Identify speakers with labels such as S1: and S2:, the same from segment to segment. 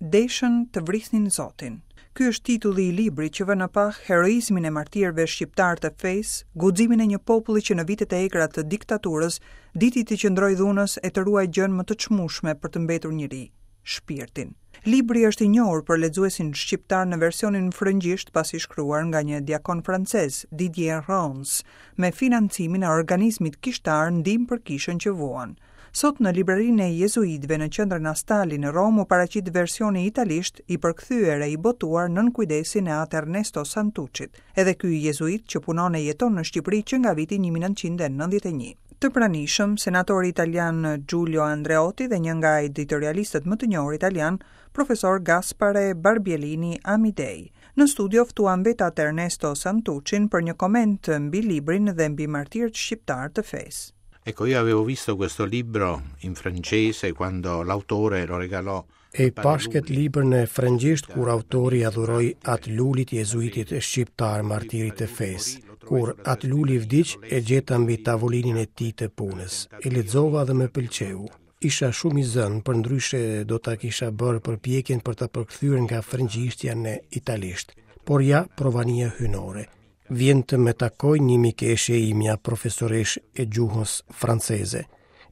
S1: Deshën të vrisnin Zotin. Ky është titulli i librit që vë në pah heroizmin e martirëve shqiptarë të fesë, guximin e një populli që në vitet e egra të diktaturës diti t'i qëndrojë dhunës e të ruajë gjënë më të çmueshme për të mbetur njeri, shpirtin. Libri është i njohur për lexuesin shqiptar në versionin frëngjisht pasi shkruar nga një diakon francez, Didier Rance, me financimin e organizmit kishtar Ndihmë për Kishën që Vuan. Sot në librarinë e Jezuitëve në qendrën Astalli në Romë u paraqit versioni italisht i përkthyer e i botuar nën kujdesin e At Ernesto Santuccit, edhe ky jezuit që punon e jeton në Shqipëri që nga viti 1991. Të pranishëm, senatori italian Giulio Andreotti dhe një nga editorialistët më të njohur italianë, profesor Gaspare Barbiellini Amidei. Në studio ftuam vetë At Ernesto Santuccin për një koment mbi librin dhe mbi martirët shqiptarë të fesë.
S2: Ecco, io avevo visto questo libro in francese quando l'autore lo regalò
S3: E pashë këtë libër në frëngjisht kur autori ia dhuroi At Lulit jezuitit shqiptar martirit të fesë. Kur At Luli vdiq, e gjeta mbi tavolinën e tij të punës. E lexova dhe më pëlqeu. Isha shumë i zënë, përndryshe do ta kisha bërë përpjekjen për ta përkthyer nga frëngjishtja në italisht. Por ja, provania hyjnore. Vjen të më takojë një mikeshë e imja profesoreshë e gjuhës franceze.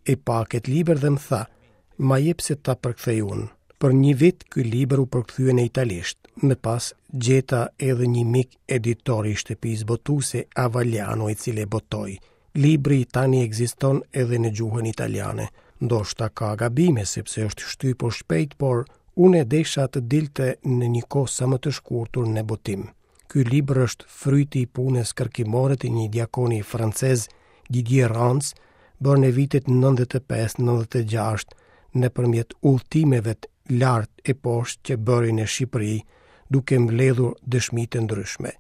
S3: E pa këtë libër dhe më tha, ma jep se ta përkthej unë. Për një vit ky libër u përkthye në italisht. Më pas gjeta edhe një mik editor i shtëpisë botuese Avagliano i cili e botoi. Libri tani ekziston edhe në gjuhën italiane. Ndoshta ka gabime sepse është shtypur shpejt, por unë e desha të dilte në një kohë sa më të shkurtër në botim. Ky libër është fryti i punës kërkimore të një diakoni francez, Didier Rance, bërë në vitet 95-96 nëpërmjet udhëtimeve lart e poshtë që bëri në Shqipëri, duke mbledhur dëshmi të ndryshme.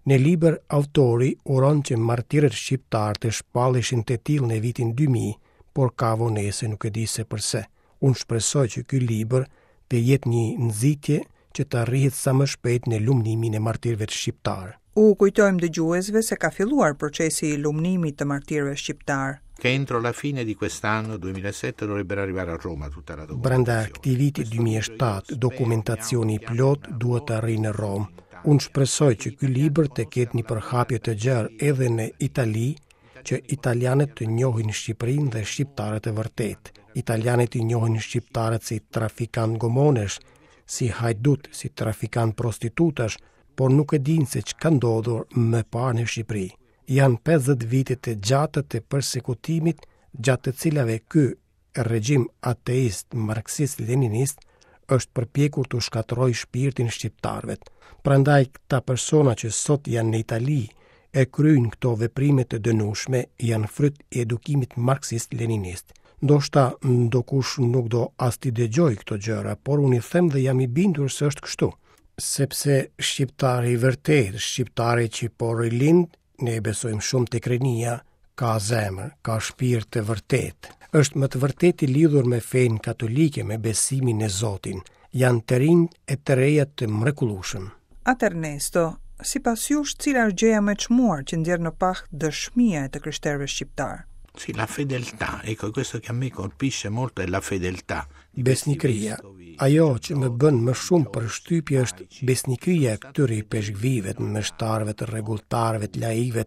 S3: Në libër autori uron që martirët shqiptarë të shpalleshin të tillë në vitin 2000, por ka vonesë nuk e di se përse. Unë shpresoj që ky libër të jetë një nxitje që të arrihet sa më shpejt në lumnimin e martirëve shqiptarë.
S1: U kujtojmë dëgjuesve se ka filluar procesi i lumnimit të martirëve shqiptarë.
S2: Che entro la fine di quest'anno 2007 dovrebbero arrivare a Roma tutta la documentazione.
S3: Brenda këtij viti 2007 dokumentacioni i plotë duhet të arrijë në Romë. Unë shpresoj që ky libër të ketë një përhapje të gjerë edhe në Itali, që italianët të njohin Shqipërinë dhe shqiptarët e vërtetë. Italianët i njohin shqiptarët si trafikantë gomonesh, si hajdutë, si trafikantë prostitutash, por nuk e dinë se ç'ka ndodhur më parë në Shqipëri. Janë 50 vite të gjata të persekutimit, gjatë të cilave ky regjim ateist marksist-leninist është përpjekur t'u shkatërrojë shpirtin shqiptarëve. Prandaj këta persona që sot janë në Itali e kryejnë këto veprime të dënueshme janë fryt i edukimit marksist-leninist. Ndoshta ndokush nuk do as t'i dëgjojë këto gjëra, por unë i them dhe jam i bindur se është kështu. Sepse shqiptari i vërtetë, shqiptari që po rilind, Ne besojmë shumë tek rinia, ka zemër, ka shpirt të vërtetë. Është me të vërtetë i lidhur me fenë katolike, me besimin në Zotin. Janë të rinj e të reja të mrekullueshëm.
S1: At Ernesto, sipas jush, cila është gjëja më e çmuar që nxjerr në pah dëshmia e të krishterëve shqiptarë?
S2: Sì, la fedeltà, ecco, questo che a me colpisce molto è la fedeltà.
S3: Besnikëria. Ajo që më bën më shumë përshtypje është besnikëria e këtyre ipeshkvijve, të meshtarëve, të rregulltarëve, të laikëve,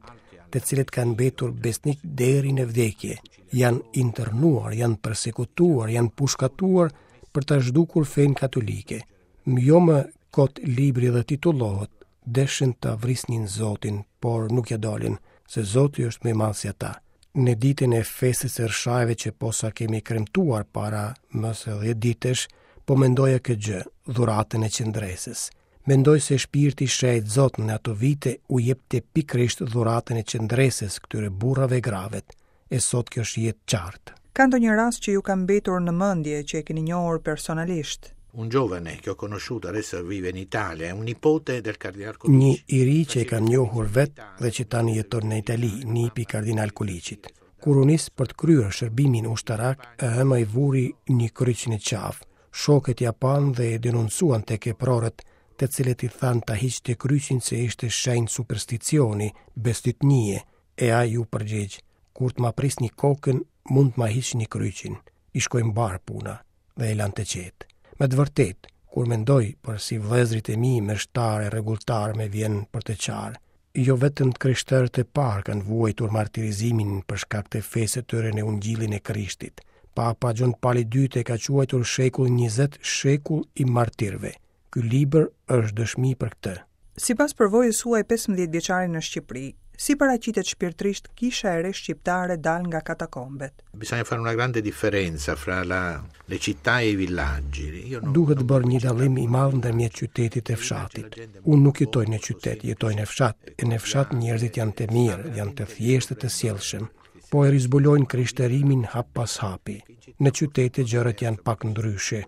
S3: të cilët kanë mbetur besnikë deri në vdekje. Janë internuar, janë persekutuar, janë pushkatuar për ta zhdukur fenë katolike. Jo më kot libri dhe titullohet Deshën ta vrisnin Zotin, por nuk ia dolën, se Zoti është më i madh se ata. Në ditën e festës së Rrshajve që posa kemi kremtuar para më se 10 ditësh, po mendoja këtë gjë, dhuratën e qëndresës. Mendoj se shpirti i shenjtë Zot në ato vite u jepte pikërisht dhuratën e qëndresës këtyre burrave e grave, e sot kjo shihet qartë.
S1: Ka ndonjë rast që ju ka mbetur në mendje që e keni njohur personalisht?
S2: Un giovane che ho conosciuto adesso vive in Italia, è un nipote del cardinal
S3: Koliqi. Një i ri që e kam njohur vetë dhe që tani jeton në Itali, nipi i kardinal Koliqit. Kur u nis për të kryer shërbimin ushtarak, e ëma i vuri një kryq në qafë. Shokët ia panë dhe e denoncuan tek eprorët, të cilët i thanë ta hiqte kryqin se ishte shenjë supersticioni, bestytnie, e ai iu përgjigj, kur të ma prisni kokën, mund të ma hiqni kryqin. I shkoi mbarë puna. dhe e lanë të qetë. Me të vërtetë, Kur mendoj për sivëllezërit e mi meshtarë e rregulltarë më vjen për të qarë. Jo vetëm të krishterët e parë kanë vuajtur martirizimin për shkak të fesë së tyre në Ungjillin e Krishtit. Papa Gjon Pali II e ka quajtur shekullin 20 shekull i martirëve. Ky libër është dëshmi për
S1: këtë. Sipas përvojës suaj 15 vjeçare në Shqipëri, si paraqitet shpirtërisht kisha e re shqiptare dalë nga katakombet?
S2: Bisogna fare una grande differenza fra la, le città e i villaggi.
S3: Io non, Duhet bërë një dallim i madh ndërmjet qytetit e fshatit. Unë nuk jetoj në qytet, jetoj në fshat. E në fshat njerëzit janë të mirë, janë të thjeshtë e të sjellshëm. Po e rizbulojnë krishterimin hap pas hapi. Në qytete gjërat janë pak ndryshe.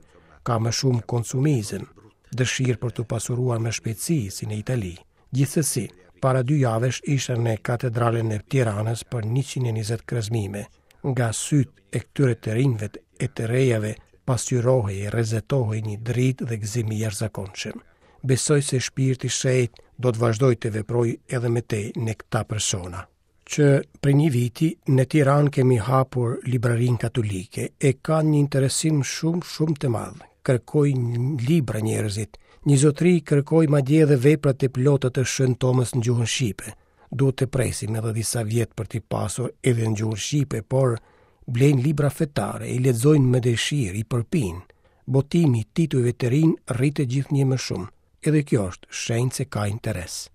S3: Ka më shumë konsumizëm, dëshirë për t'u pasuruar me shpejtësi, si në Itali. Gjithsesi, para dy javësh isha në katedralen e Tiranës për 120 krezmime. Nga sytë e këtyre të rinjve e të rejave pasqyrohej e rrezatohej një dritë dhe gëzim i jashtëzakonshëm. Besoj se Shpirti i Shenjtë do të vazhdojë të veprojë edhe më tej në këta persona. Që prej një viti në Tiranë kemi hapur librarinë katolike e ka një interesim shumë shumë të madh. Kërkojnë libra njerëzit. Një zotëri kërkoi madje edhe veprat e plota të Shën Tomës në gjuhën shqipe. Duhet të presim edhe disa vjet për t'i pasur edhe në gjuhën shqipe, por blejnë libra fetare, i lexojnë me dëshirë, i përpijnë. Botimi i titujve të rinj rritet gjithnjë më shumë. Edhe kjo është shenjë se ka interes.